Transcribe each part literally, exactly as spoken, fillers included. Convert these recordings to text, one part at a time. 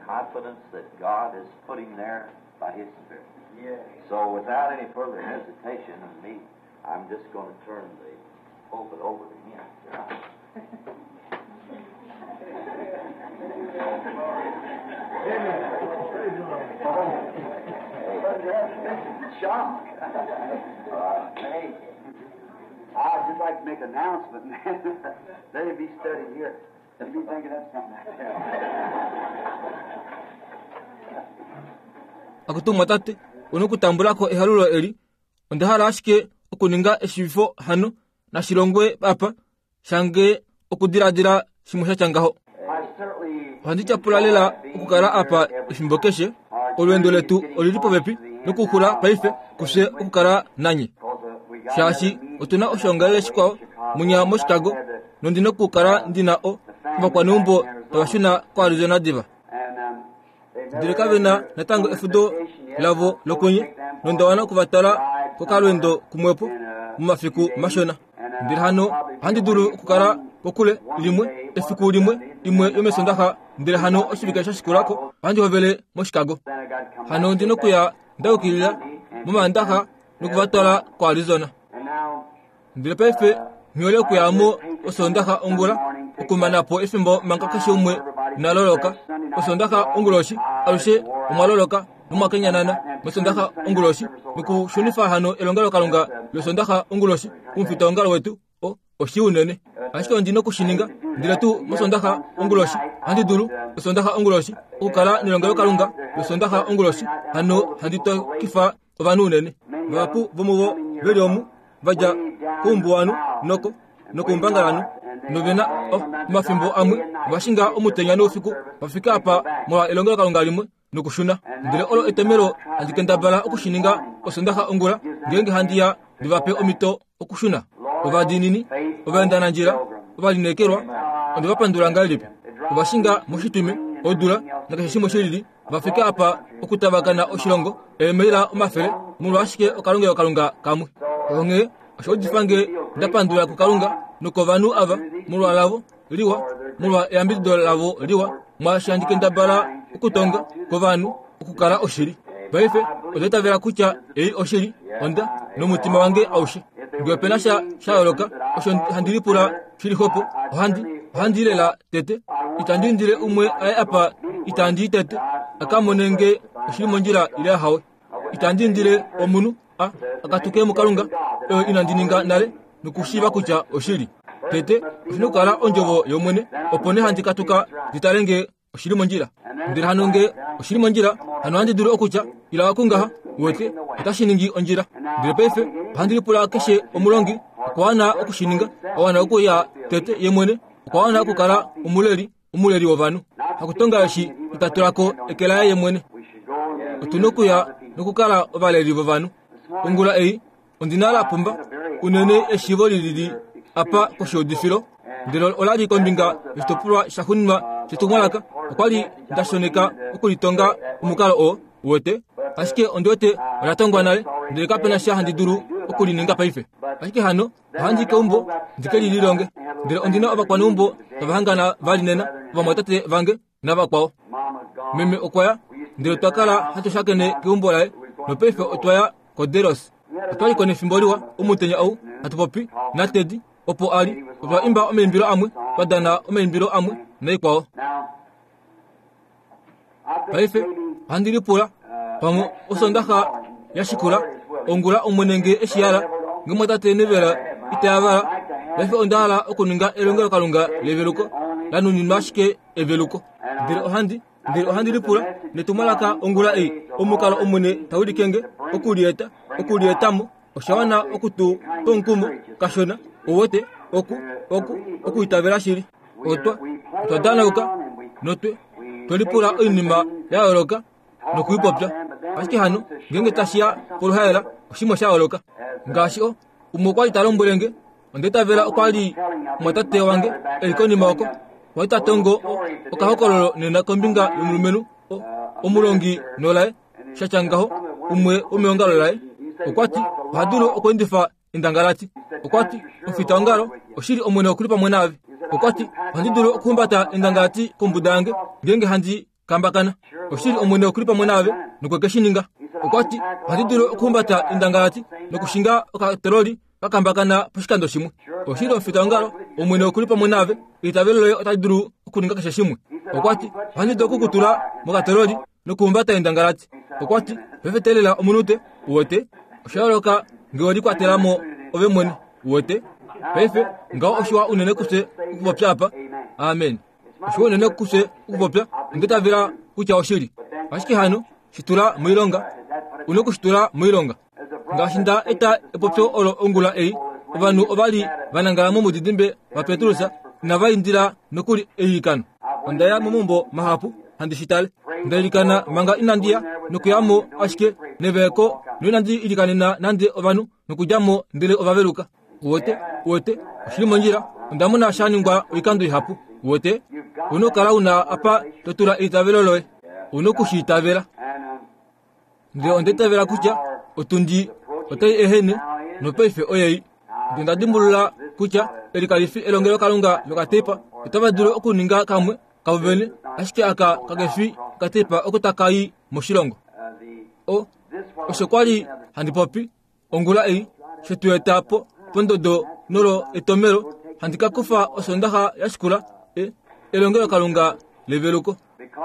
Confidence that God has put him there by His Spirit. So without any further hesitation of me, I'm just going to turn the pulpit over to him. Shock. Uh, hey, I'd just like to make an announcement, man. Let it be studied here. Let me think of that something. Akutumwa tate, onokutambulako ehalulo eli, onda hala ashike okuninga eshivifo hano nashilongwe apa shange okudiladila shimwe sha tya ngaho. Ohandi tyapula lela okukala apa efimbo keshe. Olweendo letu olili popepi nokuxula paife kufye okukala nanye. Shaashi otuna oshoongalele shikwao munya moChicago nondina okukala ndina o ovakwaneumbo tava shuna koArizona diva. Ndele kave na natango efudo lavo lokunye nonda wana okuvatala kokalweendo kumwepo momafiku mashona. Ndele hano ohandi dulu okukala kokule limwe efiku limwe imwe yomesondaxa ndele hano oshivike sha shikulako ohandi hovele moChicago. Hano ndina okuya ndaukilila momandaxa nokuvatwala koArizona. Ndele paife nghihole okuyamo osondaxa ongula okumanapo efimbo manga keshe umwe naloloka. Osondaxa onguloshi alushe omwaloloka nomwakenyanana mosondaxa onguloshi nokushunifa hano elongelokalunga losondaxa onguloshi kumufitaongalo wetu o oshi unene. Ashike ondina okushininga ndele tuu mosondaxa onguloshi ohandi dulu osondaxa onguloshi okukala nelongelokalunga losondaxa onguloshi hano handi tokifa ovanhu unene. Vahapu vomuvo veli omu vadja koumbuwanhu noko nokoumbangalanhu novena oh, omafimbo amwe ovashinga omutenya noufiku vafika apa molwa elongelokalunga limwe nokushuna. Ndele olo etomelo handi kendabala okushininga osondaxa ongula ngeenge handi ya ndivape omhito okushuna. Ovadiinini, ovaendanandjila, ovalineekelwa, onde va pandula ngahelipi. Ovashinga moshitwime, odula nakeshe shimwe shilili vafika apa okutavakana oshilongo eemaila omafele molwa ashike okalongelokalunga kamwe. Onghee osho udifa nge nda pandula kuKalunga nokovanhu ava molwa lavo liwa, molwa eyambidido lavo liwa, mwaashi handi kendabala okutonga kovanhu okukala oshili. Paife onda itavela kutya ei oshili, onda nomutima wange aushe. Ngee opena sha sha yooloka osho handi lipula shili xwepo, ohandi ohandi lela tete. Itandi indile umwe aye apa itandi i tete a ka mone nge oshili mondjila ile ahawe. Itandi indile omunhu a akatuke muKalunga oyo inandi ninga nale nokushiiva kutya oshili. Tete oshina okukala ondjovo yOmwene, opo nee handi katuka ndi tale nge oshili mondjila. Ndele hano nge oshili mondjila, hano ohandi dulu okutya ila okungaha, uwete, otashi ningi ondjila. Ndele paife ohandi lipula keshe omulongi okwa wana okushininga, a wana okuya tete ye mwene, okwa wana okukala omuleli, omuleli wovanhu. Hakutonga eshi ita tulako eke laye ye mwene. Otuna okuya nokukala ovaleli vovanhu. Ongula ei ondina la pumba unene eshiivo lilili apa koshiudifilo, ndele ola li kombinga yoshitopolwa sha xuninwa shetumwalaka. Okwa li nda shoneka okulitonga omukalo oo, uwete, ashike ondi wete ola tongwa nale, ndele kapena sha handi dulu okulininga paife. Ashike hano ohandi keumbo ndi ke lililonge, ndele ondina ovakwaneumbo tava hangana vali nena, ovamwatate vange navakwao. Meme okwa ya, ndele otwa kala hatu shakene keumbo laye, nopaife otwa ya koDelos. Otwa li ko nefimbo liwa omutenya ou hatu popi naTeddy opo a li. Otwa imba omaimbilo amwe, twa dana omaimbilo amwe naikwao. Paife ohandi lipula pamwe osondaxa ya shikula ongula Omwene nge eshi hala, nge mwatate Neville ita yavala. Paife onda hala okuninga elongelokalunga leveluko la nuninwa ashike eveluko. Ndele ohandi ndele ohandi lipula netumwalaka ongula ei, omukalo Omwene tawilike nge okulieta, okulietamo, osha wana okutu twa omukumo kashona, uwete, oku, oku, okuitavela shili. Otwa, otwa danauka notwe twelipula oinima ya yooloka nokuipopya. Ashike hano ngeenge tashi ya poluhaela oshimwe sha yooloka. Ngaashi o umwe okwa li ta lombwele nge, onda itavela okwa li omwatate wange eli konima oko, okwa li ta tongo okahokololo nena kombinga yomulumenhu o, omulongi nolaye sha tya ngaho, umwe womeongalo laye. Okwa ti oha dulu okweendifa endangalati. Okwa ti omufitaongalo oshili Omwene okuli pamwe naave. Okwa ti ohandi dulu okuhumbata endangalati kombuda yange ngeenge handi kambakana. Oshili Omwene okuli pamwe naave nokwe ke shi ninga. Okwa ti ohandi dulu okuhumbata endangalati nokushinga okatoroli kakambakana poshikando shimwe. Oshili omufitaongalo, Omwene okuli pamwe naave, eitavelo loye otali dulu okuninga keshe shimwe. Okwa ti ohandi dulu okukutula mokatoroli nokuhumbata endangalati. Okwa ti pefetelela omunute uwete. Osha yooloka ngee we likwatela mo ove mwene uwete. Paife ngaho oshiwa unene kufye okupopya apa. Amen. Oshiwa unene kufye okupopya onditavela kutya oshili. Ashike hano shitula moilonga, une okushitula moilonga. Ngaashi nda eta epopyo olo ongula ei, ovanhu ova li vanangala momudidimbe vaPetrus inava indila nokuli eilikano. Onda ya momaumbo mahapu handi shi tale. Nda ilikana manga inandi ya nokuyamo ashike neveeko noinandi ilikanena nande ovanhu nokudjamo ndele ovaveluka. Uwete, uwete, oshili mondjila. Onda mona sha ningwa oikando ihapu. Uwete, una okukala una apa to tula eitavelo loye, una okushi itavela. Ndele onda itavela kutya otundi otai ehene nopaife oyei. Ndele onda dimbulula kutya eli kali fi elongelokalunga lokatepa, otava dulu okuninga kamwe kavo vene, ashike aka kakefi okatepa oko taka i moshilongo. O, osho kwa li handi popi ongula ei, she tu eta po pondodo nolo etomelo, handi ka kufa osondaxa ya shikula e, elongelokalunga leveluko.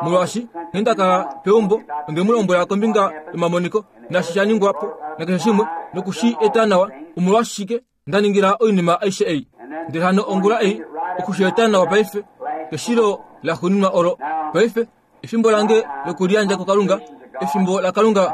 Molwaashi nghee nda kala peumbo, onde mu lombwela kombinga yomamoniko naashi sha ningwa po nakeshe shimwe nokushi eta nawa, omolwashike nda ningila oinima aishe ei. Ndele hano ongula ei okushi eta nawa paife keshilo la xuuninwa olo. Paife efimbo lange lokuliyandja kuKalunga, efimbo laKalunga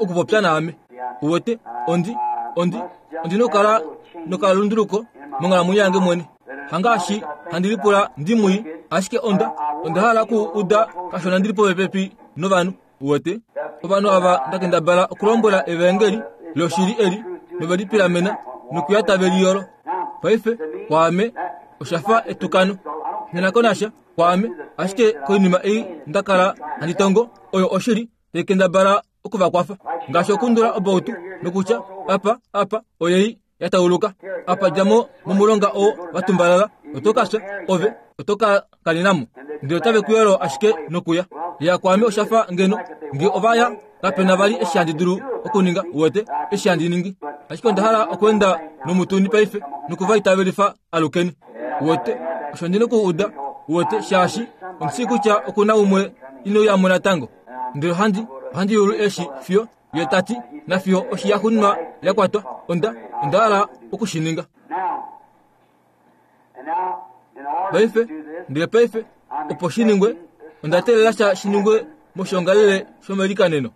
okupopya naame. Uwete, ondi, ondi, ondi nokukala nokalunduluko monghalamwenyo yange mwene. Hangaashi handi lipula ndi mwii, ashike onda, onda hala oku uda kashona ndili popepi novanhu. Uwete, ovanhu ava nda kendabala okulombwela evangeli loshili eli novelipilamena nokuya tave liyolo. Paife kwaame osha fa etukano. Nghi na sha kwaame, ashike koinima ei nda kala handi tongo oyo oshili tai kendabala okuvakwafa. Ngaashi okundula obautu nokutya apa apa oyei ya tauluka, apa djamo momulonga oo vatumbalala, oto ka fya ove oto ka kaninamo. Ndele otave ku yolo ashike nokuya. Ya kwaame osha fa ngeno nge ova ya kapena vali eshi handi dulu okuninga. Uwete eshi handi ningi, ashike onda hala okweenda nomutuni paife nokuva itavelifa alukeni. Uwete osho ndi nokuuda. Uwete shaashi omushii kutya okuna umwe inouyamo natango. Ndele ohandi, ohandi yulu eshi fiyo ye tati nafiyo oshi ya xuuninwa ya kwatwa. Onda, onda hala okushininga paife. Ndele paife opo shi ningwe, onda teelela sha shi ningwe moshiongalele shomelikaneno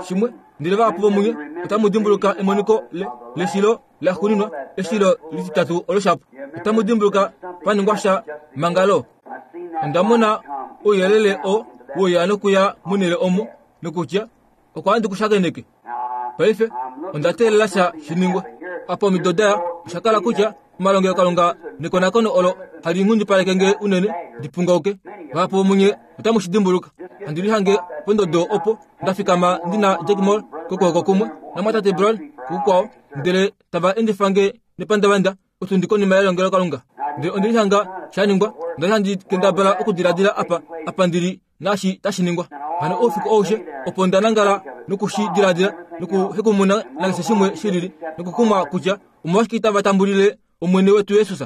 shimwe. Ndele vahapu vomunye otamu dimbuluka emoniko le, leshilo la xuuninwa, eshilo lititatu olo shapo. Otamu dimbuluka pa ningwa sha mangalo. Onda mona ouyelele oo wouya nokuya monhele omo nokutya okwa handi kushakeneke. Paife onda teelela sha shi ningwe. Apa omido daya osha kala kutya omalongelokalunga nekonakono olo hali nghundipaleke nge unene ndi pungauke. Vahapu vomunye otamu shi dimbuluka. Handi lihange pondodo opo nda fikama ndi na Jack Moore kokwooko kumwe namwatate Brown kukukwao, ndele tava endifa nge nepandavanda otundi konima yelongelokalunga. Ndele ondi lihanga sha ningwa, onda li handi kendabala okudiladila apa apa ndili naashi tashi ningwa. Hano oufiku aushe opo nda nangala nokushi diladila nokuhekumuna nakeshe shimwe shilili nokukumwa kutya omolwashike itava tambulile Omwene wetu Jesus.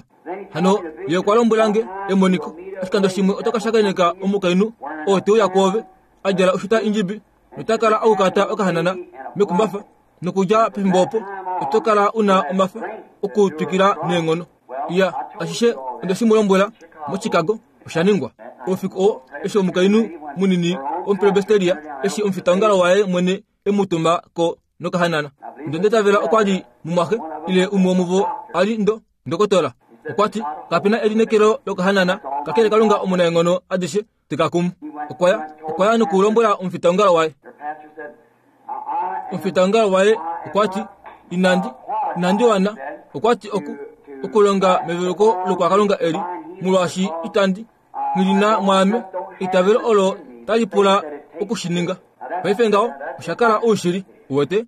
Hano ye okwa lombwela nge emoniko, oshikando shimwe oto ka shakeneka omukainhu oo te uya kwoove a djala oshuta indjibi nota kala aukata okahanana mekumbafa, nokudja pefimbo opo oto kala una omafa okutwikila neenghono. Iya, ashishe onde shi mu lombwela moChicago osha ningwa. Oufiku oo eshi omukainhu munini womupresbiteria eshi omufitaongalo waye mwene e mu tuma ko nokahanana. Ndele onda itavela okwa li mumwaxe ile umwe womuvo a li ndo ndokotola. Okwa ti kapena elineekelo lokahanana, kakele Kalunga omunaenghono adishe te ka kumu. Okwa ya, okwa ya nokulombwela omufitaongalo waye. Omufitaongalo waye okwa ti inandi, inandi wana. Okwa ti oku, okulonga meveluko lokwakalunga eli, molwaashi itandi nghilina mwaame eitavelo olo tali pula okushininga. Paife ngaho osha kala oushili. Uwete,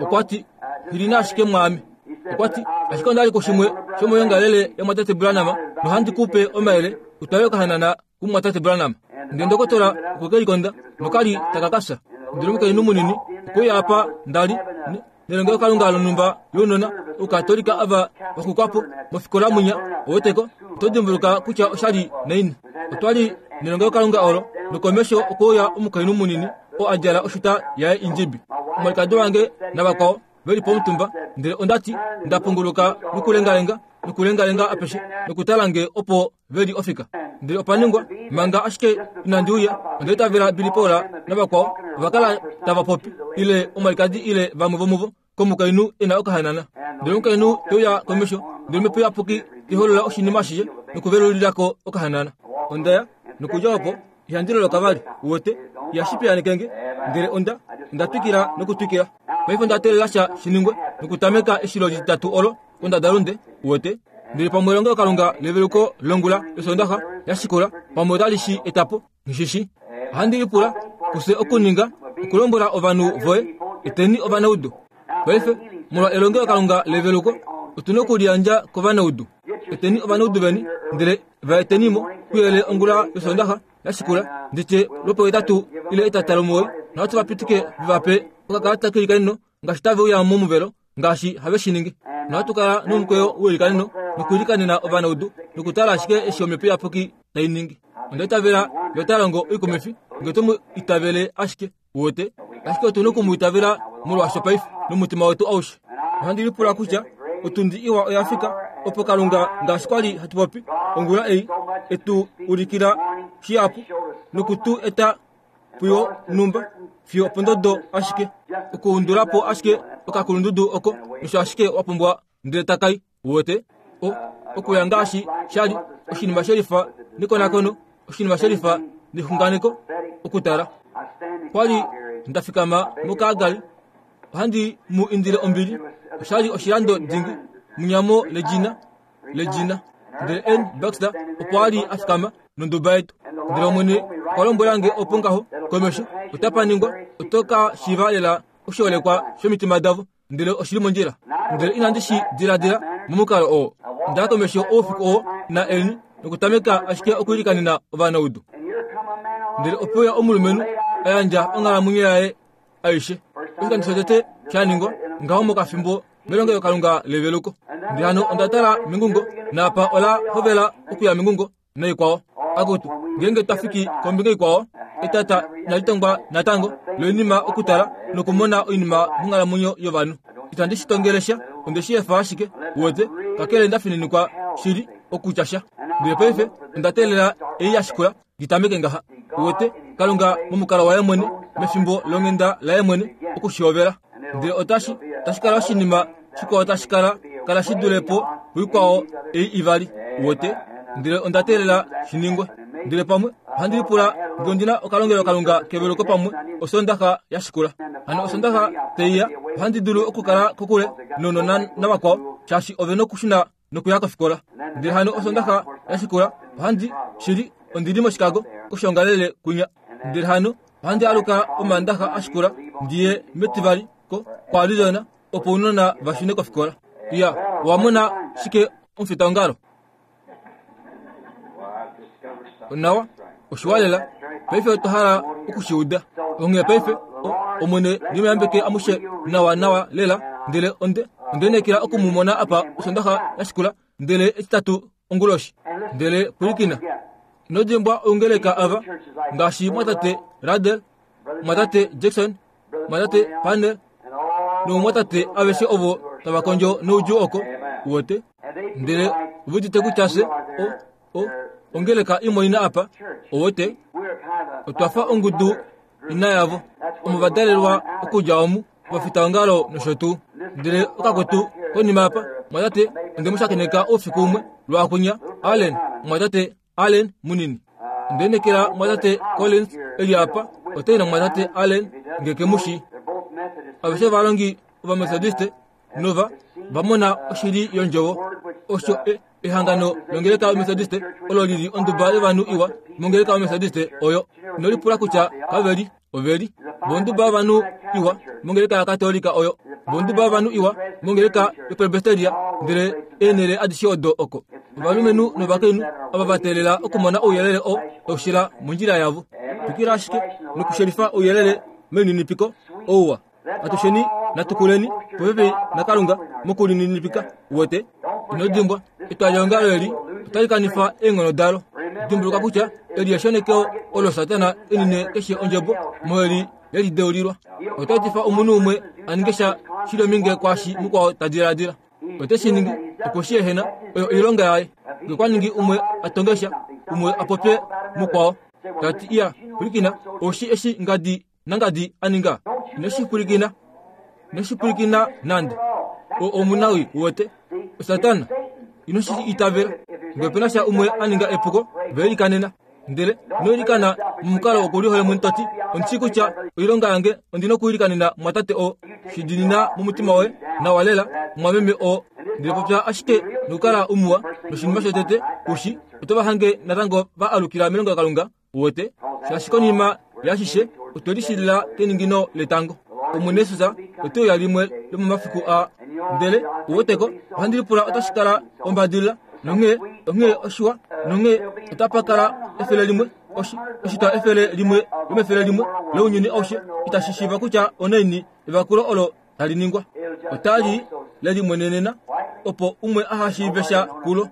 okwa ti nghilina ashike mwaame. Okwa ti ashike onda li kushimwe shomoyongalele yamwatate Branham nohandi ku pe omayele utwale okahanana kumwatate Branham. Ndele ndokotola okwe ke likonda nokali taka ka fya. Ndele omukainhu munini okwe uya apa nda li nelongelokalunga lonhumba lounona Oukatolika ava vaxukwapo mofikola munya oweteko. Oto dimbuluka kutya oshali naini. Otwa li nelongelokalunga olo nokomesho okwe uya omukainhu munini oo a djala oshuta yaye indjibi. Omwalikadi wange navakwao veli pomutumba, ndele onda ti nda punguluka nokulengalenga nokulengalenga apeshe nokutala nge opo veli ofika. Ndele opa ningwa manga ashike inandi uya, onda itavela Billy Paul navakwao ova kala tava popi ile omwalikadi ile vamwe vomuvo komukainhu e na okahanana. Ndele omukainhu te uya komesho, ndele omhepo iyapuki te holola oshinima ashishe nokuvelulilako okahanana. Onda ya nokudja opo ihandi loloka vali, uwete, ihashi piyaaneke nge. Ndele onda onda twikila nokutwikila. Paife onda teelela sha shiningwe nokutameka eshilo lititatu olo kondadalunde, uwete. Ndele pamwe elongelokalunga leveluko longula losondaxa yashikula pamwe otali shi etapo, nghishishi. Ohandi lipula kufye okuninga okulombwela ovanhu voye eteni ovanaudu. Paife molwa elongelokalunga leveluko otu na okuliyandja kovanaudu. Eteni ovanaudu veni, ndele va etenimo kuyele ongula yosondaxa yashikula, nditye lwopohetatu ile etata lomuwoi, nohatu va pitike vevape okakalata keilikaneno ngaashi tave uya momuvelo ngaashi have shi ningi. Nohatu kala nomukweyo weilikaneno nokuilikanena ovanaudu nokutala ashike eshi omhepo iyapuki tai ningi. Onda itavela ye ota longo oikumwifi nge oto mu itavele ashike, uwete. Ashike otu na oku mu itavela molwaasho paife nomutima wetu aushe. Ohandi lipula kutya otundi iwa oya fika opo Kalunga ngaashi kwali hatu popi ongula ei etu ulikila shihapu nokutu eta puyo numba fiyo opondodo ashike okuundulapo ashike okakulundudu oko nosho ashike wa pumbwa ndele takai, uwete. O okuya ngaashi shali oshinima shelifa nekonakono, oshinima shelifa nexunganeko okutala. Kwali nda fikama moKalgary, ohandi mu indile ombili, oshali oshilando dingi munyamo ledina ledina. Ndele N Baxter opo a li a fikama nonduba yetu. Ndele Omwene okwa lombwela nge opo ngaho komesho otapa ningwa oto ka shiiva lela oshiholekwa shomitima davo, ndele oshili mondjila. Ndele inandi shi diladila momukalo oo. Onda ya komesho oufiku oo na Elni nokutameka ashike okuilikanena ovanaudu. Ndele ope uya omulumenhu a yandja onghalamwenyo yaye aishe. Oshikando shotete sha ningwa ngaho mokafimbo melongelokalunga leveluko. Ndele hano onda tala mengungo naapa ola hovela okuya mengungo naikwao. Akutu ngeenge twa fiki kombinga ikwao etata inali tongwa natango loinima okutala nokumona oinima monghalamwenyo yovanhu. Itandi shi tongele sha, onde shi efa ashike, uwete, kakele nda fininikwa shili okutya sha. Ndele paife onda teelela ei ya shikula ndi tameke ngaha, uwete, Kalunga momukalo waye mwene mefimbo longhenda laye mwene okushihovela. Ndele otashi tashi kala oshinima shikwao tashi kala kala shi dule po puikwao ei ivali, uwete. Ndele onda teelela shi ningwe. Ndele pamwe ohandi lipula nge ondi na okalongelokalunga keveluko pamwe osondaxa ya shikula. Hano osondaxa teiya ohandi dulu okukala kokule nounona navakwao shaashi ove nokushuna nokuya kofikola. Ndele hano osondaxa ya shikula ohandi shili ondi li moChicago koshoongalele kunya. Ndele hano ohandi aluka omandaxa a shikula ndiye metivali ko koArizona opo ounona va shune kofikola. Ya, owa mona shike omufitaongalo? Onawa, oshiwa lela. Paife otwa hala okushiuda. Onghee paife Omwene nemuyambeke amushe nawa nawa lela. Ndele onde onde lineekela oku mu mona apa osondaxa ya shikula, ndele etitatu onguloshi. Ndele pwilikina, ino dimbwa oungeleka ava ngaashi mwatate Ruddell, mwatate Jackson, mwatate Parnell noumwatate aveshe ovo tava kondjo noudjuu oko, uwete. Ndele ove udite kutya fye o o ongeleka imwe apa, uwete. Otwa fa ongudu ina yavo omo va dalelwa okudja omu ovafitaongalo nosho tuu. Ndele okakwetu konima apa mwatate onde mu shakeneka oufiku umwe lwaakunya Allen, mwatate Allen munini. Onde lineekela mwatate Collins eli apa otai na mwatate Allen nge ke mu shii. Aveshe ovalongi Ovamethodiste nova va mona oshili yondjovo. Osho ehangano longeleka yomethodiste olo lili onduba yovanhu iwa mongeleka yomethodiste oyo. Ino lipula kutya kaveli oveli vonduba yovanhu iwa mongeleka yakatolika oyo, vonduba yovanhu iwa mongeleka yopresbyteria, ndele eenhele adishe odo oko. Ovalumenhu novakainhu ava va teelela okumona ouyelele oo taushila mondjila yavo. Twikila ashike nokushelifa ouyelele melininipiko ouwa. Atusheni natukuleni popepi naKalunga mokulininipika. Uwete? Ino dimbwa, etwalihongalo eli otali kanifa eenghono dalo. Dimbuluka kutya eli eshonekeo olo Satana enine keshe ondjebo moheli yelideulilwa. Ota etifa omunhu umwe a ninge sha shili ominge kwaashi mukwao ta diladila. Ote shi ningi opo shi ehena oyo oilonga yaye. Ngee kwa ningi umwe a tonge sha, umwe a popye mukwao tati iya pwilikina oushi eshi ngadi nangadi a ninga. Ino shi pwilikina, ino shi pwilikina nande. O omunawi uwete Satana ino shi itavela. Ngee opena sha umwe a ninga epuko, veilikanena. Ndele ino ilikana momukalo wokulihole mwene toti ondishi kutya oilonga yange ondina okuilikanena mwatate oo. Shidinina momutima woye nawa lela mwameme oo. Ndele popya ashike nokukala umuwa noshinima shotete kushi oto va hange natango va alukila melongo laKalunga. Uwete? Shaashi konima yashishe otwe lishilila keningino letango. Omwene Jesus ote uya limwe lomomafiku aa. Ndele uweteko ohandi lipula otashi kala ombadilila nonghee onghee oshiwa nonghee otapa kala efele limwe oshi oshitwa efele limwe lomefele limwe lounyuni aushe itashi shiiva kutya onaini evakulo olo tali ningwa. Otali lelimwenenena opo umwe aha shiive sha kulo.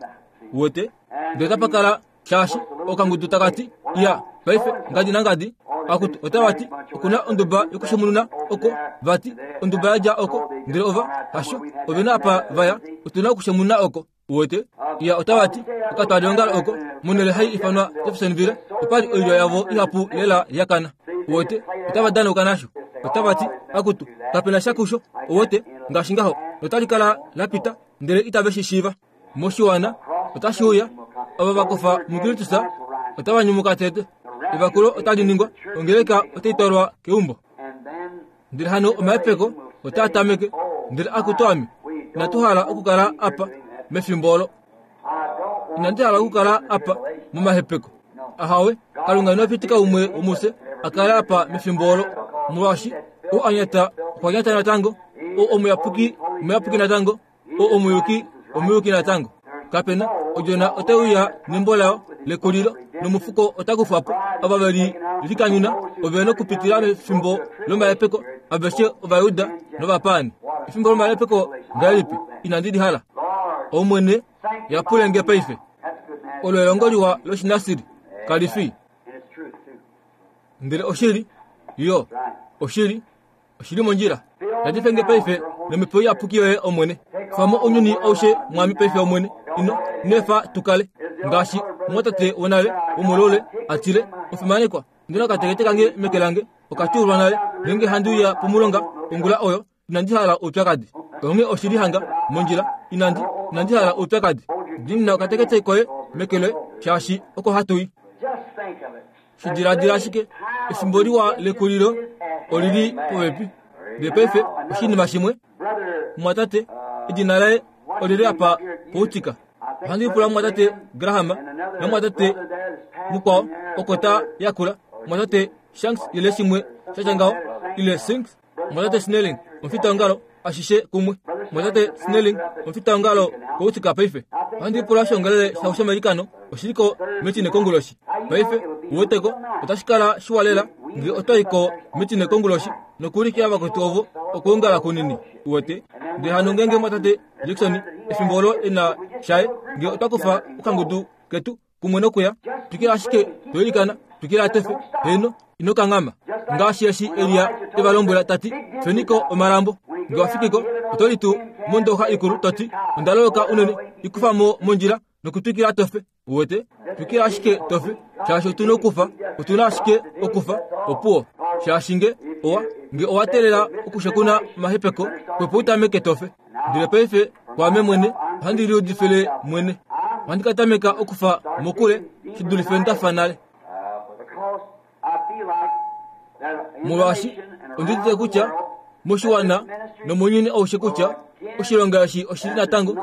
Uwete? Ndele otapa kala shaashi okangudu takati iya paife ngadi nangadi akutu otavati okuna onduba yokushemununa oko vati onduba yadja oko ndele ova hasho ovena apa vaya otuna okushemununa oko. Uwete? Iya otavati okatwalihongalo oko monhele hai ifanwa Jeffersonville opali oilyo yavo ihapu lela yakana. Uwete? Otava danauka nasho. Otavati akutu kapena sha kusho. Uwete? Ngaashi ngaho notali kala lapita ndele itave shi shiiva. Moshiwana otashi uya ava vakofa muKristus otava nyumuka tete. Evakulo otali ningwa ongeleka otai twalwa keumbo. Ndele hano omahepeko otaa tameke. Ndele akutu ame inatu hala okukala apa mefimbo olo. Inandi hala okukala apa momahepeko. Ahawe, Kalunga ino pitika umwe womufye a kale apa mefimbo olo. Molwaashi ou a nyata okwa nyata natango, ou omuyapuki omuyapuki natango, ou omuyuki omuyuki natango. Kapena odjona otai uya nembo layo lekulilo nomufuko ota kufwa po. Ava veli likanyuna ove nokupitila mefimbo lomahepeko aveshe Ovajuda novapaani. Efimbo lomahepeko ngahelipi inandi li hala. Omwene yapule nge paife. Olo elongo liwa loshinasiri kali fi. Ndele oshili yo oshili oshili mondjila. Yadife nge paife nomhepo iyapuki yoye Omwene. Famo ounyuni aushe mwami paife Omwene. Ino nefa tukale ngaashi mwatate wonale womolole atile ofimanekwa. Ndina okatekete kange meke lange okatyuulwa nale ngeenge handi uya pomulonga ongula oyo inandi hala oupyakadi. Onghee oshili hanga mondjila inandi inandi hala oupyakadi. Ndina okatekete koye meke loye shaashi oko hatu i. Shidiladila ashike efimbo liwa lekulilo olili popepi. Ndele paife oshinima shimwe mwatate edina laye olili apa poutika. Ohandi pula mwatate Graham namwatate mukwao oko ta yakula mwatate Shanks ile shimwe shatya ngaho ile Sinks mwatate Snelling omufitaongalo ashishe kumwe mwatate Snelling omufitaongalo koutika paife. Ohandi pula oshiongalele shavo shomailikano oshiliko metine konguloshi. Paife uweteko otashi kala shiwa lela ngee otwa ko metine konguloshi nokuulikila vakwetu ovo okuongala kunini. Uwete? Ndele hano ngeenge mwatate Jackson efimbo olo ena shaye ngee otwa kufa okangudu ketu kumwe nokuya twikila ashike toilikana twikila tefe heno ino kanghama ngaashi eshi Elia eva lombwela tati feniko omalambo. Ngee wafikiko oto litu mondoxa ikulu toti onda loloka unene ikufa mo mondjila nokutwikila tofe. Uwete? Twikila ashike tofe shaashi otuna okufa otuna ashike okufa opuwo shaashi nge owa nge owa teelela okushekuna omahepeko kwepo utameke tofe. Ndele paife kwaame mwene ohandi liudifile mwene. Ohandi ka tameka okufa mokule shi dulife ndafa nale. Molwaashi ondiudite kutya moshiwana nomounyuni aushe kutya oshilonga eshi oshili natango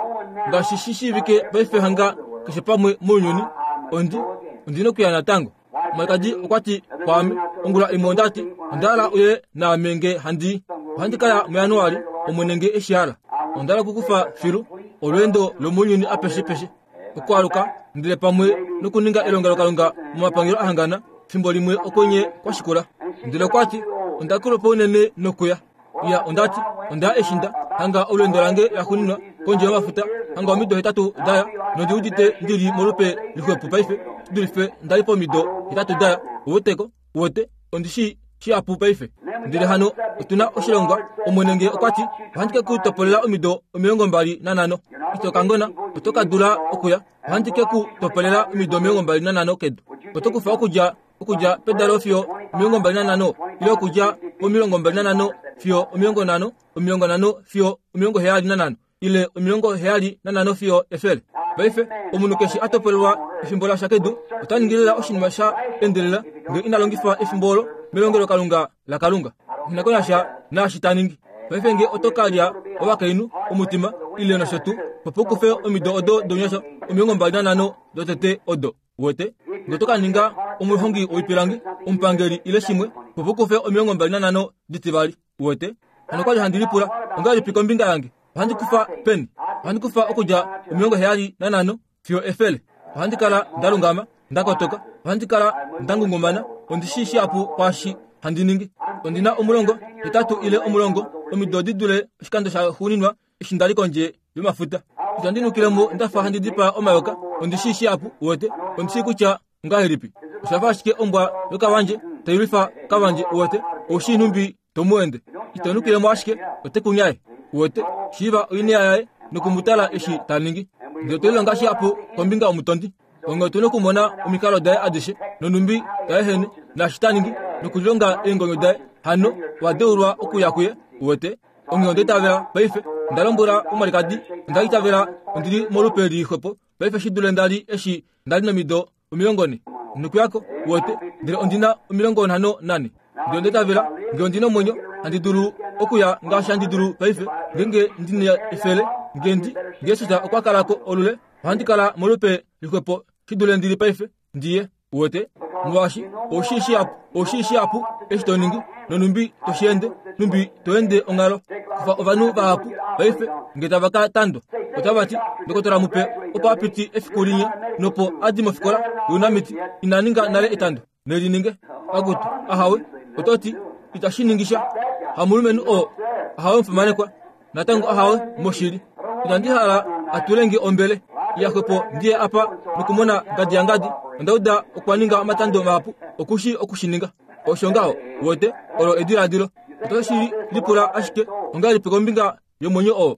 ngaashi shi shiivike paife hanga keshe pamwe mounyuni. Ondi ondina okuya natango. Omwalikadi okwati kwaame ongula imwe ondati onda hala uye naame nge handi ohandi kaya muJanuali Omwene nge eshi hala. Onda hala okukufa filu olweendo lomounyuni apeshe peshe. Okwaluka ndele pamwe nokuninga elongelokalunga momapangelo ahangana fimbo limwe okwenye kwashikula. Ndele okwati onda kulupa unene nokuya. Ya ondati onda eshinda hanga olwendo lange laxuuninwa kondje yomafuta hanga omido hetatu daya nondiudite ndili molupe lixwepo paife shidulife ndali pomido hetatu daya. Uweteko uwete ondishi shihapu paife. Ndele hano otuna oshilongwa Omwene nge okwati ohandi ke ku topolela omido omilongo mbali nanhano. Ito kangona oto ka dula okuya. Ohandi ke ku topolela omido omilongo mbali nanhano kedu. Oto kufa okudja okudja pedalo fiyo omilongo mbali nanhano ile okudja pomilongo mbali nanhano fiyo omilongo nhano, omilongo nhano fiyo omilongo heyali nanhano ile omilongo heyali nanhano fiyo efele. Paife omunhu keshe a topolelwa efimbo lasha kedu ota ningilela oshinima sha endelela nge ina longifa efimbo olo melongelokalunga laKalunga. Ina konasha naashi ta ningi. Paife nge oto kalya ovakainhu omutima ile nosho tuu opo kufe omido odo dounyasha omilongo mbali nanhano dotete odo. Uwete nge oto ka ninga omuhongi woipilangi omupangeli ile shimwe opo kufe omilongo mbali nanhano ditivali. Uwete hano kwali handi lipula ongahelipi kombinga yange. Ohandi kufa peni? Ohandi kufa okudja omilongo heyali nanhano fiyo efele. Ohandi kala ndalungama ndakotoka. Ohandi kala ndangungumana. Ondishi shihapu kwaashi handi ningi. Ondina omulongo hetatu ile omulongo omido di dule oshikando shaxuuninwa eshi ndali kondje yomafuta. Itandi nukilemo ndafa handi dipaa omayoka. Ondishi shihapu. Uwete ondishi kutya ongahelipi. Oshafa ashike ombwa yokavandje tailwifa kavandje. Uwete oushi nhumbi tomuende. Ito nukilemo ashike ote kunyaye. Uwete shiiva oinea yaye nokumutala eshi ta ningi. Ndele otolilonga shihapu kombinga yomutondi. Onge otuna okumona omikalo daye adishe nonumbi daye naashi ta ningi nokulilonga eengonyo daye. Hano wadeulwa okuya kuye. Uwete onge ondaitavela paife ndalombwela omwalikadi ondaitavela ondili molupe lixwepo paife shidule ndali eshi ndali nomido omilongo ne nokuyako. Uwete ndele ondina omilongo nhano nane. Ndele ondaitavela nge ondina omwenyo handi dulu okuya ngaashi handi dulu paife ngenge ndina efele ngendi ngesusa okwa kalako olule ohandi kala molupe lixwepo shidule ndili paife ndiye. Uwete molwaashi oushi shihapu oushi shihapu eshi to ningi nonumbi toshiende numbi toende onghalo. Kufa ovanhu vahapu paife nge tava ka tandwa otavati ndokotola mupe opo apiti efiku linya nopo adi mofikola younamiti ina ninga nale etando nelininge akutu ahawe ototi itashi ningisha hamulumenhu oo ahawe mufimanekwa natango ahawe moshili. Inandi hala atulenge ombele yaxwepo ndiye apa nokumona ngadi ya ngadi. Ondauda okwa ninga omatando mahapu okushi okushininga. Osho ngaho uwete olo ediladilo. Otoshi lipula ashike ongahelipi kombinga yomwenyo oo.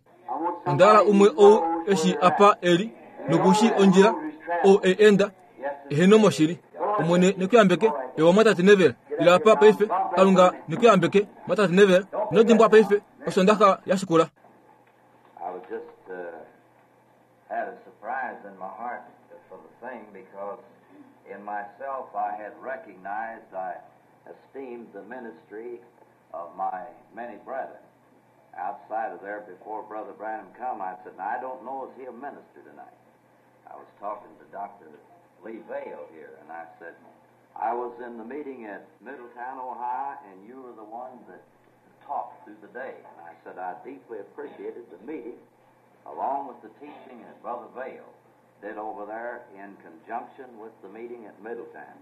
Onda hala umwe ou eshi apa eli nokushi ondjila ou e enda eheno moshili. Omwene nekuyambeke ewa mwatate Neville. Ila apa paife Kalunga nekuyambeke mwatate Neville. Nodimbwa paife osondaxa yashikula. I was just uh, had a surprise in my heart for the thing because in myself I had recognized, I esteemed the ministry of my many brethren. Outside of there, before Brother Branham come, I said, now, I don't know, is he a minister tonight? I was talking to Doctor Lee Vayle here, and I said, I was in the meeting at Middletown, Ohio, and you were the one that talked through the day. And I said, I deeply appreciated the meeting, along with the teaching that Brother Vayle did over there in conjunction with the meeting at Middletown.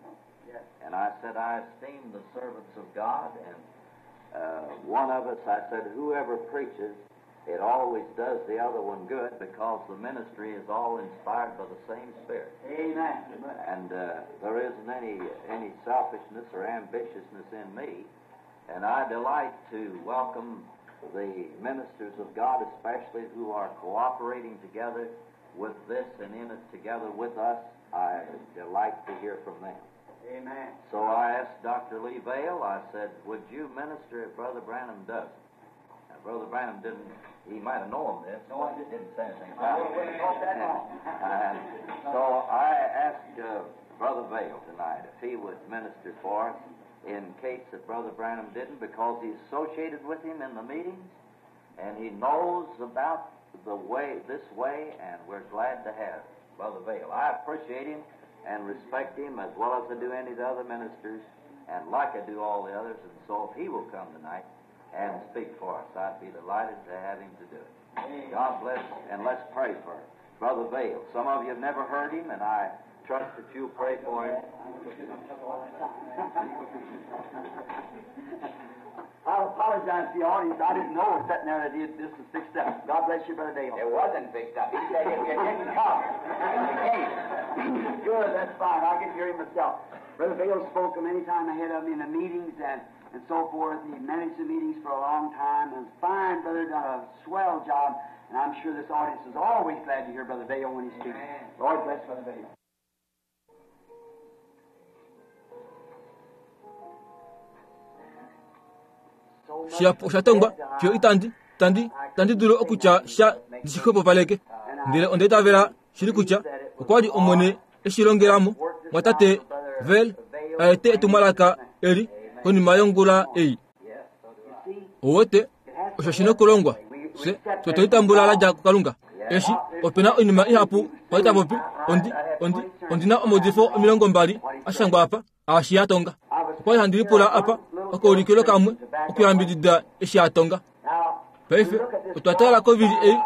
Yes. And I said, I esteem the servants of God, and uh, one of us, I said, whoever preaches, it always does the other one good because the ministry is all inspired by the same Spirit. Amen. And uh, there isn't any, any selfishness or ambitiousness in me. And I delight to welcome the ministers of God, especially who are cooperating together with this and in it together with us. I delight to hear from them. Amen. So I asked Doctor Lee Vayle, I said, would you minister if Brother Branham doesn't? Now, Brother Branham didn't, he might have known this, No, I but didn't. didn't say anything I about wouldn't it. have thought that long. And so I asked uh, Brother Vayle tonight if he would minister for us in case that Brother Branham didn't, because he's associated with him in the meetings, and he knows about the way, this way, and we're glad to have Brother Vayle. I appreciate him and respect him as well as I do any of the other ministers, and like I do all the others, and so if he will come tonight and speak for us, I'd be delighted to have him to do it. God bless, and let's pray first. Brother Vayle. Some of you have never heard him, and I trust that you'll pray for him. I apologize to the audience. I didn't know sitting there that he- this was fixed up. God bless you, Brother Dale. It wasn't fixed up. He said if you didn't come, you came. Good, that's fine. I'll get to hear him myself. Brother Vayle spoke many times ahead of me in the meetings and, and so forth. He managed the meetings for a long time. And fine brother, done a swell job. And I'm sure this audience is always glad to hear Brother Vayle when he speaks. Amen. Lord bless Brother Vayle. Shihapu osha tongwa fiyo itandi tandi tandi dulu okutya sha ndishixwepopaleke ndele onda itavela shili kutya okwa li Omwene eshi longelamo mwatate Vel aete etumwalaka eli konima yongula ei. Owete osho shina okulongwa fye fye twelitambula ladja kuKalunga. Eshi opena oinima ihapu kwali tapopi ondi ondi ondina omaudifo omilongo mbali ashangwa apa aashi yatonga. Okwali handi lipula apa okaulikilo kamwe okuyambidida eshi atonga. Paife otwa tala kovili ei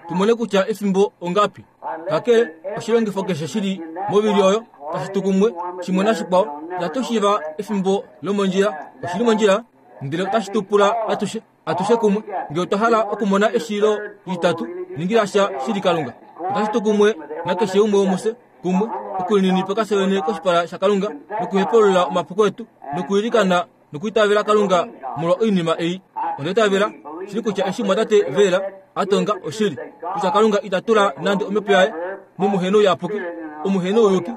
tumone kutya efimbo ongapi. Kakele oshilongifo keshe shili movili oyo tashi tu kumwe shimwe nashikwao itatu shiiva efimbo lomondjila oshili mondjila ndele otashi tu pula atushe atushe kumwe ngele otwa hala okumona eshilo litatu ningila sha shili Kalunga. Otashi tu kumwe nakeshe umwe womufye kumwe okulininipika fye vene koshipala shaKalunga nokuhepulula omapuko etu nokuilikana nokuitavela Kalunga molwa oinima ei. Onda itavela shili kutya eshi mwatate Vela atonga oshili kutya Kalunga ita tula nande omhepo yaye momuhenouyaapuki omuhenouyuki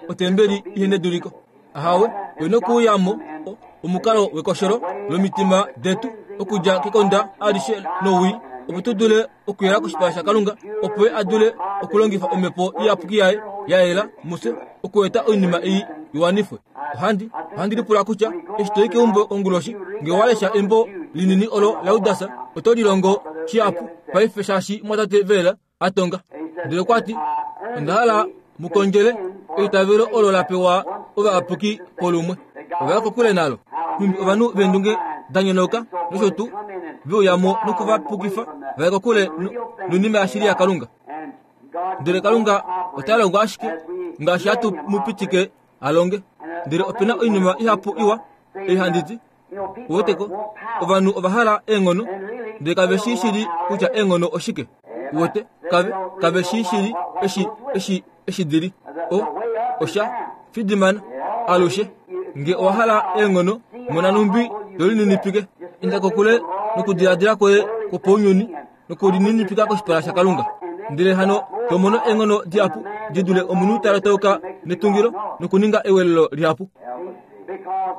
otembeli ihena eduliko. Ahawe oyina okuuyamo omukalo wekosholo lomitima detu okudja kekonda alishe nowii opo tu dule okuyela koshipala shaKalunga opo ye a dule okulongifa omhepo iyapuki yaye ya yela mufye okueta oinima ei iwanifwe. Ohandi ohandi lipula kutya eshi toyi keumbo konguloshi ngele owa lesha embo linini olo laJudas oto lilongo shihapu paife shaashi mwatate Vela atonga. Ndele okwati onda hala mukondjele eitavelo olo la pewa ovayapuki polumwe. Ovaya kokule nalo. Nhumbi ovanhu veendunge da nyonauka nosho tuu veuyamo nokuvapukifa vaye kokule noinima yashili yaKalunga. Ndele Kalunga ota longo ashike ngaashi hatu mu pitike a longe. Ndele opena oinima ihapu iwa ei handi ti uweteko ovanhu ova hala eenghono ndele kave shii shili kutya eenghono oshike. Uwete kave kave shii shili eshi eshi eshi dili o osha fidimana alushe nge owa hala eenghono mona numbi tolininipike inda kokule nokudiladila kwoye kwopaunyuni nokulininipika koshipala shaKalunga. Ndele hano tomono eenghono dihapu di dule omunhu ta lotauka netungilo nokuninga ewelelo lihapu.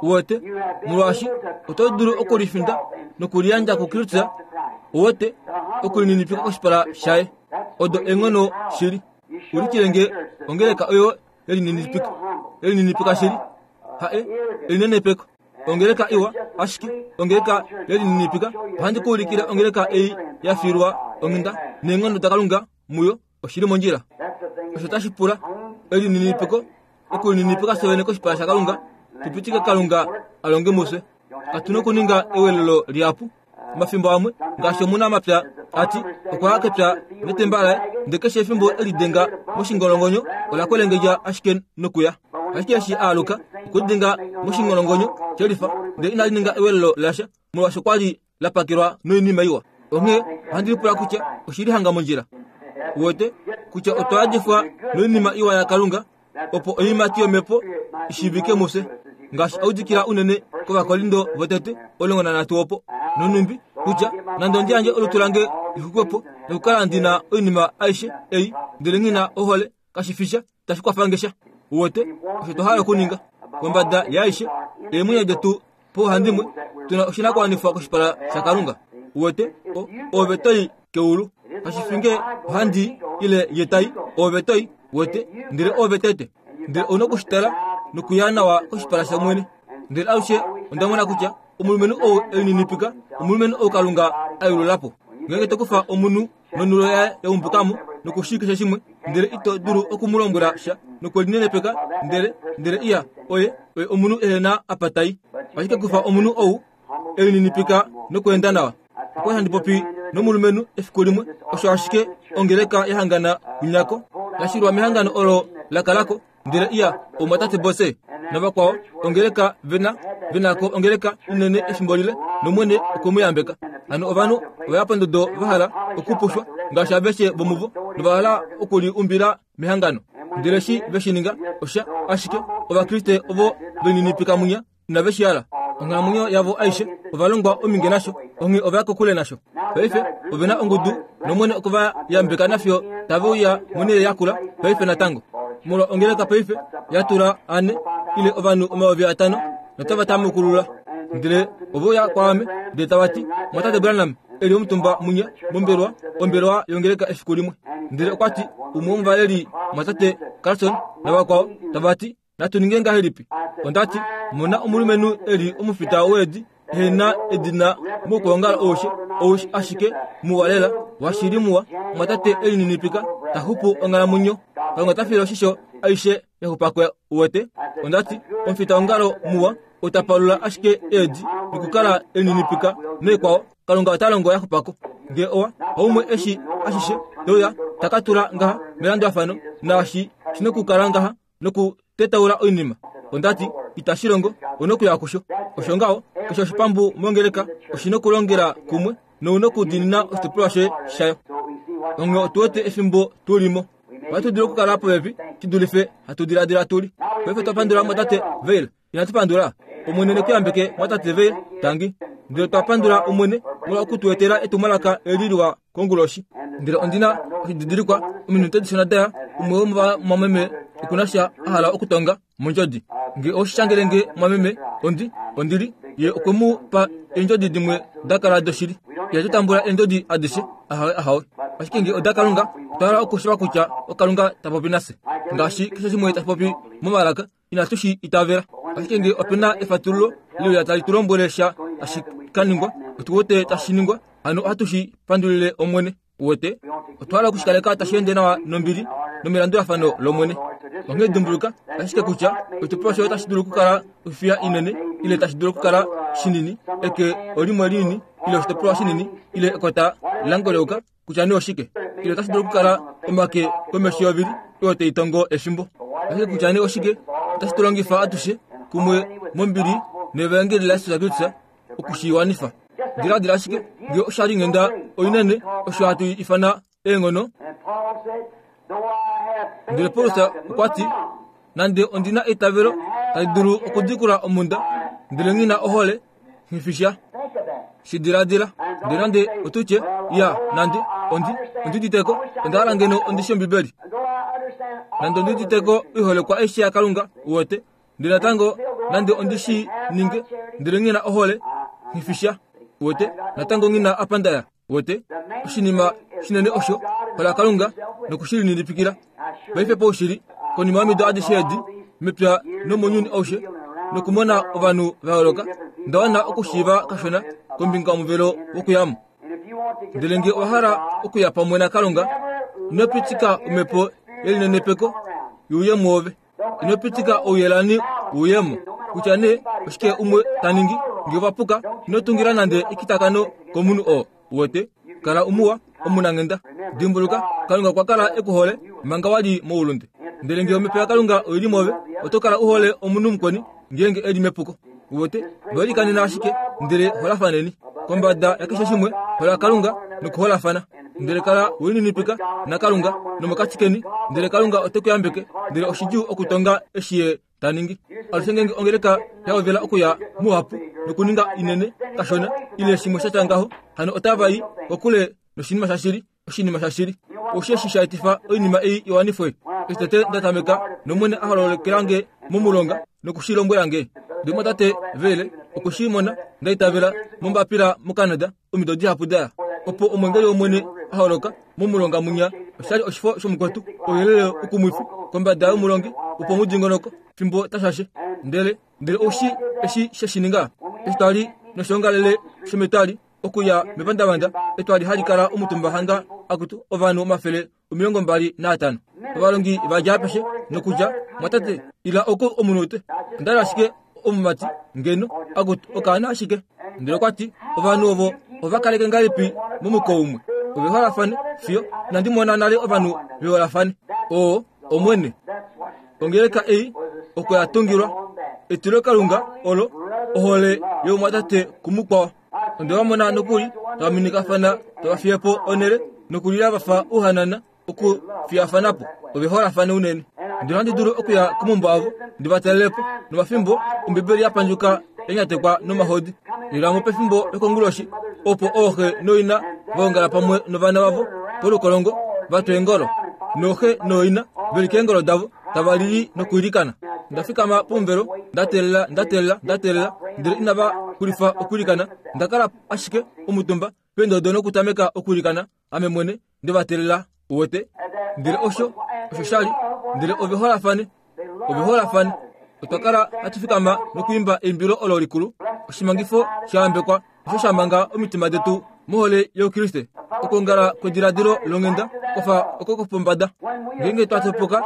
Uwete molwaashi oto dulu okulifinda nokuliyandja kuKristus. Uwete okulininipika koshipala shaye odo eenghono shili. Ulikile nge ongeleka oyo yelininipika yelininipika shili hae elinenepeko ongeleka iwa ashike ongeleka yelininipika. Ohandi kuulikila ongeleka ei ya filwa onghenda neenghono daKalunga muyo oshili mondjila. Osho tashi pula elininipiko okulininipika fye vene koshipala shaKalunga tupitike Kalunga alonge mufye. Katu okuninga ewelelo lihapu. Omafimbo amwe ngaashi omunamapya ati okwa ya kepya netemba laye ndele keshe efimbo elidenga moshingolongonyo ola kwelengedja ashike nokuya. Ashike eshi aaluka okulidenga moshingolongonyo shelifa ndele inali ninga ewelelo lasha molwaashi okwali la pakelwa noinima iwa. Onghee ohandi lipula kutya oshili hanga mondjila. Uwete kutya otwa yadifwa noinima iwa yaKalunga opo oiimati yomhepo ishiivike mufye ngaashi audikila unene kOvakorindo votete omulongo nanhatu opo. Nonhumbi kutya nande ondi yandje olutu lange lixwikwepo nokukala ndina oinima aishe ei ndele nghina ohole kashi fi sha tashi kwafange sha. Uwete osho twa hala okuninga. Kombada yaaishe eemwenyo detu pauhandimwe tuna oshinakuwanifwa koshipala shaKalunga. Uwete ove toi keulu kashi fi nge ohandi ile ye tai ove toi uwete ndele ove tete. Ndele ouna okushitala nokuya nawa koshipala shaMwene. Ndele alushe onda mona kutya omulumenhu ou elininipika omulumenhu ou Kalunga a yulula po. Ngeenge to kufa omunhu nonulo yaye ya umbukamo nokushii keshe shimwe ndele ito dulu okumulombwela sha nokwelinenepeka ndele ndele iya oye oye omunhu ehena apa tai. Ashike kufa omunhu ou elininipika nokweenda nawa. Okwali handi popi nomulumenhu efiku limwe osho ashike ongeleka yahangana kunyako yashilwa mehangano olo lakalako ndele iya omwatate bose navakwao ongeleka vena venako ongeleka inene efimbo lile nomwene okwemuyambeka hano ovanhu ovaya pondodo vahala okupushwa ngaashi aveshe vomuvo novahala okuliumbila mehangano ndele shi veshininga osha ashike ovakriste ovo veninipika munya inaveshihala onghalamwenyo yavo aishe ovalongwa ominge nasho onghee ovaya kokule nasho paife ovena ongudu nomwene okuvayambeka nafyo taveuya monele yakula paife natango molwa ongeleka paife yatula ane ile ovanhu omayovi atano notava tamukulula ndele oveuya kwaame ndele tavati mwatate Branham eli omutumba munya mombelwa ombelwa yongeleka efiku limwe ndele okwati umwe womuvaleli mwatate Carlson navakwao tavati natuninge ngahelipi ondati mona omulumenhu eli omufita weedi ehena edina mokuongala oushe oushe ashike muwalela washili muwa mwatate elininipika tahupu onghalamwenyo kalunga tafile oshisho aishe yaxupako uwete ondati omufita ongalo muwa otapalula ashike eedi nokukala elininipika noikwao kalunga otalongo yaxupako nge owa oumwe eshi ashishe toya takatula ngaha melandulafano naashi shinokukala ngaha nokutetaula oinima ondati itashilongo onokuya kusho osho ngaho keshe oshipambu mongeleka oshinokulongela kumwe nounokudinina oshitopolwa shoye shayo onge otuwete efimbo tulimo ohatu dulu okukala popepi shidulife hatu diladila tuli paife twapandula mwatate Veil inatupandula omwene nekuyambeke mwatate Veil tangi ndele twapandula omwene molwa okutuetela etumwalaka eli liwa konguloshi ndele ondina oshididilikwa ominute dishona daya umwe womomameme okunasha ahala okutonga mondjodi nge oshishangelenge mwameme ondi ondili ye okwemu pa eendjodi dimwe dakala doshili ihatutambula eendjodi adishe ahawe ahawe ashike nge odakalunga otwahala okushiva kutya okalunga tapopi nase ngaashi keshe shimwe tashi momalaka inatu shi itavela ashike nge opena efatululo leuya tali tulombwele sha tashi kaningwa otuwete tashi ningwa hano ohatu shi pandulile omwene uwete otwahala okushikaleka tashi ende nawa nombili nomilandulafano lomwene onghee dimbuluka ashike kutya oshitopolwa shoye otashi dulu okukala ofiya inene ile tashi dulu okukala shinini eke olimwe linini ile oshitopolwa shinini ile ekota langoleuka kutya nee oshike ile otashi dulu okukala omake komesho yovili oyo taitongo efimbo ashike kutya nee oshike otashi tulongifa atushe kumwe mombili nevaengeli laYesus Kristus okushiwanifa diladila ashike nge oshali nghenda oinene osho hatu ifana eenghono ndele Paulus okwati nande ondina eitavelo tali dulu okudikula omunda ndele ngina ohole nghifisha shidiladila ndele nande otutye ya nande ondi ondiditeko ondahala ngeno ondishi ombibeli nande ondiditeko oiholekwa aishe yakalunga uwete ndele natango nande ondishi ninge ndele ngina ohole nghifisha uwete natango ngina apandaya uwete oshinima shinene osho hola kalunga nokushilinilipikila paife poushili konima yomido adishe edi mepya nomounyuni aushe nokumona ovanhu va yooloka ndawana okushiiva kashona kombinga yomuvelo wokuyamo ndele nge owahala okuya pamwe nakalunga inopitika omhepo yelinenepeko yuuye mwoove inopitika ouyelani uuyemo kutya nee oshike umwe taningi nge ovapuka inotungila nande ekitakano komunhu oo uwete kala umuwa omunanghenda dimbuluka kalunga okwa kala ekuhole manga wali moulunde ndele nge omhepo yakalunga oili mwoove oto kala uhole omunhu mukweni ngeenge eli mepuko uwete velikanena ashike ndele holafaneni kombada yakeshe shimwe hola kalunga nokuholafana ndele kala welinipika nakalunga nomokati keni ndele kalunga ote kuyambeke ndele oshidjuu okutonga eshi ye taningi alushe ngenge ongeleka yaovela okuya muhapu nokuninga inene kashona ile shimwe shatya ngaho hano otavai kokule noshinima shashili oshinima shashili osheshi shaetifa oinima ei iwanifwe eshi tete ndatameka nomwene ahololokelange momulonga nokushilombwelange ndimo tate vele okushimona ndaitavela mombapila moCanada omido dihapu daya opo omwengeli womwene aholoka momulonga munya oshali oshifo shomukwetu ouyelele ukumwifi kombada yomulongi opo mudingonoko fimbo tashashe ndele ndele oshi eshi sheshininga eshi twali noshongalele shometwali okuya mepandavanda etwali hali kala omutumba hanga akutu ovanhu omafele omilongo mbali naatano ovalongi vadja apeshe nokudja mwatate ila oko omunute ondali ashike omumati ngeno akutu okaana ashike ndele okwati ovanhu ovo ovakaleke ngahelipi momuko umwe Oveholafane fiyo inandi mona nale ovanhu veholafane. Oo Omwene. Ongeleka ei oko ya tungilwa etilokalunga olo ohole youmwatate kumukwao. Onde vamona nokuli tava minikafana tava fiyepo onele nokulila vafa ouhanana okufiyafanapo. Oveholafane unene. Ndele ohandi dulu okuya komaumbo avo ndi va talelepo nomafimbo Ombibeli ya pandjuka yanyatekwa nomahodi. Lilamo pefimbo lokonguloshi opo ooxe noina vaongala pamwe novana vavo polukolongo vatwa eengolo. Nooxe nooina veli keengolo davo tava lili nokwiilikana. Ndafikama pomuvelo ndateelela ndateelela ndateelela ndele inava xulifa okwiilikana. Ndakala ashike omutumba peendodo nokutameka okwiilikana ame mwene ndevateelela uwete. Ndele osho osho shali ndele oveholafane oveholafane. Otwa kala hatu fikama nokwiimba eimbilo olo likulu. Oshimangifo shayambekwa osho sha manga omitima detu mohole youkriste. Okwoongala kwediladilo longhenda kwafa oko kopombada. Ngeenge twa topoka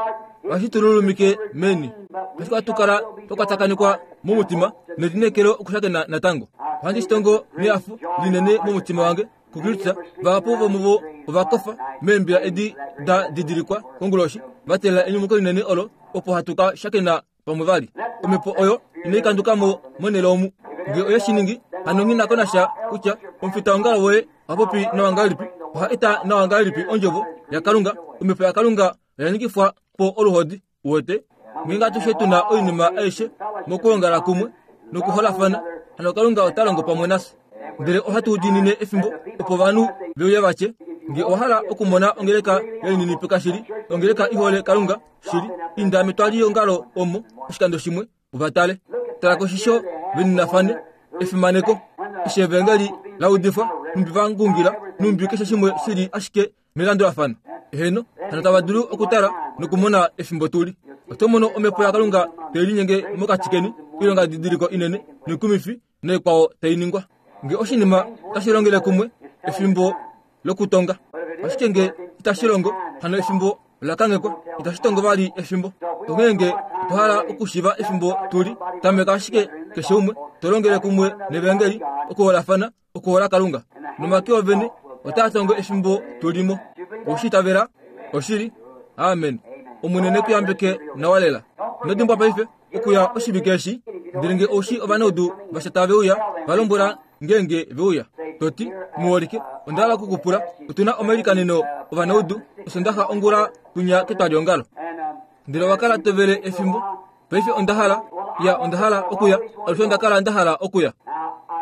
ohashi tululumike meni. Ashike ohatu kala twa kwatakanekwa momutima nelineekelo okushakena natango. Ohandi shitongo nehafo linene momutima wange kuKristus. Vahapu vomuvo ovakofa meembila edi da didilikwa konguloshi va teelela enyumuko linene olo opo hatu ka shakena pamwe vali. Omhepo oyo inai kandukamo monhele omu. Ngee oye shi ningi, hano nghi na ko nasha kutya omufitaongalo woye oha popi nawa ngahelipi, oha eta nawa ngahelipi ondjovo yaKalunga. Omhepo yaKalunga oya ningifwa po oluhodi uwete. Ngeenge atushe tuna oinima aishe mokuongala kumwe nokuholafana, hano Kalunga ota longo pamwe nafye. Ndele ohatu diinine efimbo opo ovanhu veuye vatye, ngee owa hala okumona ongeleka yelininipika shili, ongeleka ihole Kalunga shili, inda metwaliongalo omo oshikando shimwe uvatale. Tala koshisho veninafane efimaneko. Eshi evangeli la udifwa, numbi va ngungila, numbi keshe shimwe shili ashike melandulafano. Eheno, hano tava dulu okutala nokumona efimbo tuli. Oto mono omhepo yaKalunga tai linyenge mokati keni, oilonga didiliko inene noikumifi noikwao tai ningwa. Ngee oshinima otashi longele kumwe efimbo lokutonga. Ashike ngee itashi longo, hano efimbo ola kanghekwa, itashi tongo vali efimbo. Onghee ngee otwa hala okushiiva efimbo tuli, tameka ashike keshe umwe to longele kumwe nevangeli, okuholafana, okuhola Kalunga. Nomake ovene otaa tongo efimbo tulimo. Oshi itavela? Oshili? Amen. Omwene ne ku yambeke nawa lela. Ino dimbwa paife okuya oshivike eshi, ndele ngee oushi ovanaudu vasha tave uya, va lombwela ngeenge veuya. Toti, muholike, onda hala okukupula, otuna omailikaneno ovanaudu osondaxa ongula tunya ketwaliongalo. Ndele owa kala tovele efimbo. Paife onda hala, ya onda hala okuya, alushe onda kala nda hala okuya.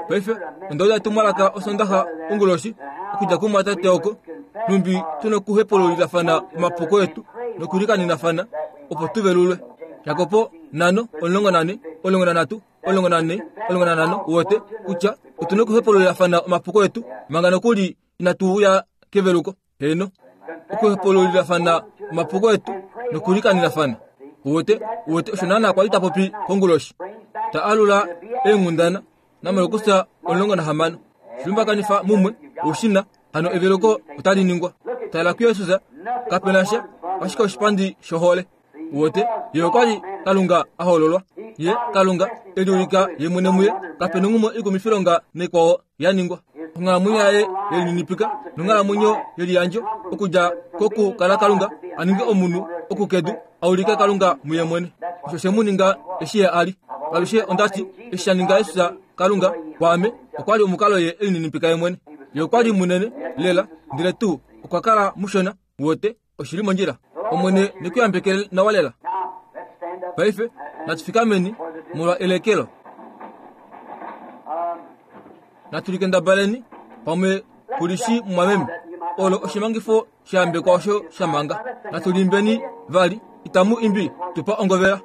Paife onda uda etumwalaka osondaxa onguloshi okudja kumwatate oko, numbi tuna okuhepululilafana omapuko etu nokulikanenafana opo tuvelulwe. Jakobo nano omulongo nane omulongo nanhatu omulongo nane omulongo nanhano uwete kutya otuna okuhepululilafana omapuko etu manga nokuli inatu uya keveluko. Heno, okuhepululilafana omapuko etu nokulikanenafana. Uwete uwete osho naana kwali ta popi konguloshi. Ta alula eenghundana namalokusa omulongo nahamano. Shilumbakanifa mumwe oushina hano eveluko otali ningwa. Tala kuJesus kapena sha ashike oshipandi shohole. Uwete ye okwali Kalunga a hololwa. Ye Kalunga eliulika ye mwene muye, kapena onghumwe ikumifilonga naikwao ya ningwa. Onghalamwenyo yaye yelininipika nonghalamwenyo yeliyandjo okudja kokukala Kalunga a ninge omunhu okukedu a ulike Kalunga muye mwene. Osho she mu ninga eshi ye a li. Alushe ondati eshi sha ninga Jesus Kalunga kwaame okwali omukalo ye elininipika ye mwene. Ye okwali munene lela ndele tuu okwa kala mushona. Uwete oshili mondjila. Omwene ne ku yambeke nawa lela. Paife natu fikameni molwa elekelo. Natu likendabaleni pamwe kulishi mumwameme. Olo oshimangifo shayambekwa osho sha manga. Natu limbeni vali itamu imbi tupa ongovela.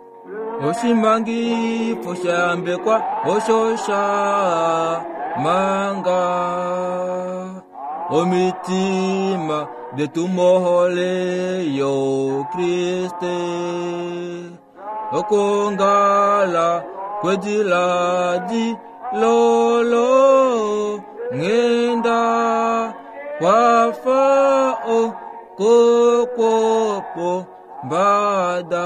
Oshimangifo shayambekwa osho sha manga omitima detu mohole youkriste. Okwoongala kwediladi lolo nghenda kwafa okokwopo mbada.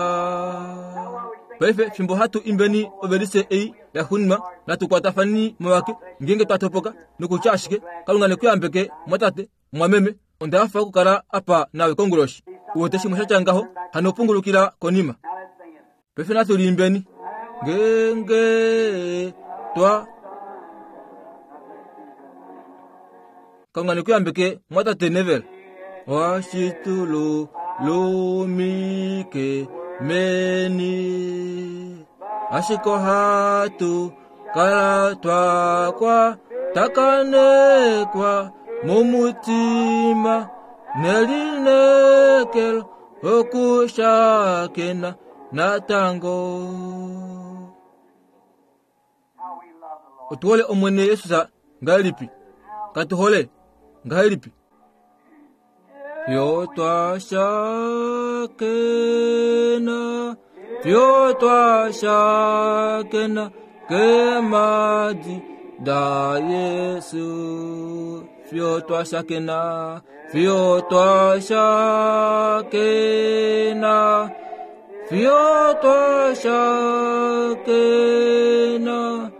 Paife fimbo hatu imbeni ovelise ei yaxuuninwa, natu kwatafaneni momake ngeenge twa topoka nokutya ashike Kalunga ne ku yambeke mwatate mwameme. Onda hafa okukala apa nawe konguloshi. Uwete shimwe shatya ngaho, hano pungulukila konima. Now let's sing it. Paife natu liimbeni. Ngenge twa Kalunga nekuyambeke mwatate Neville. Washitulu lumike meni. Ashiko hatu kala twakwa takanekwa mumutima nelinekelo okushakena natango. How we love the Lord. Otuhole omwene Yesus ngahelipi? Katuhole ngahelipi? Fyo twashakena, fyo twashakena kemadi da Yesu. Fyo twashakena, fyo twashakena, fyo twashakena.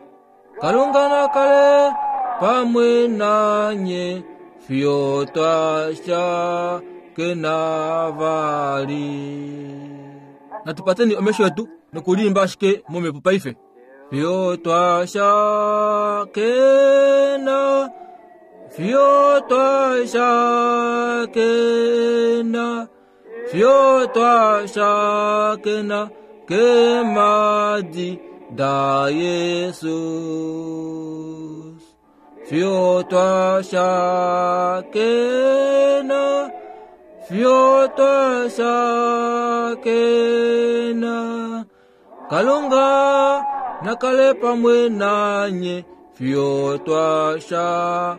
Kalunga nakale pamwe nanye fyo twashakena vali. Natupateni omesho etu nokulimba ashike momhepo paife. Fyo twashakena, fyo twashakena, fyo twashakena kemadi da Jesus. Fyo twashakena, fyo twashakena. Kalunga nakale pamwe nanye fyo twashakena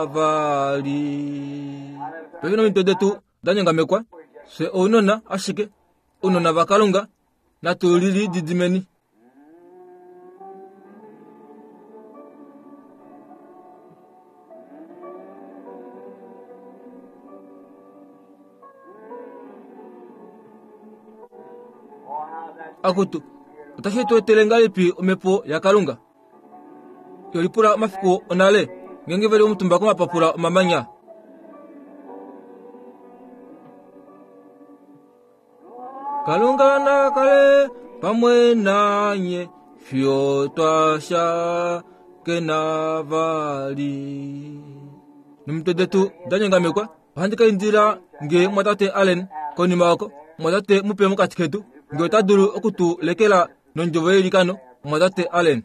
vali. Pefina mitwe detu danyangamekwa se ounona ashike ounona vakalunga natulili didimeni. Oh, how that Akutu otashi tu etele ngahelipi omhepo yakalunga? Yolipula omafiku onale ngenge veli omutumba komapapula omamanya. Kalunga nakale pamwe nanye fyo twashakena vali. Nomitwe detu danyangamekwa ohandi ka indila nge mwatate Allen konima oko mwatate mupe mokati ketu nge ota dulu okutu lekela nondjovo yeilikano mwatate Allen.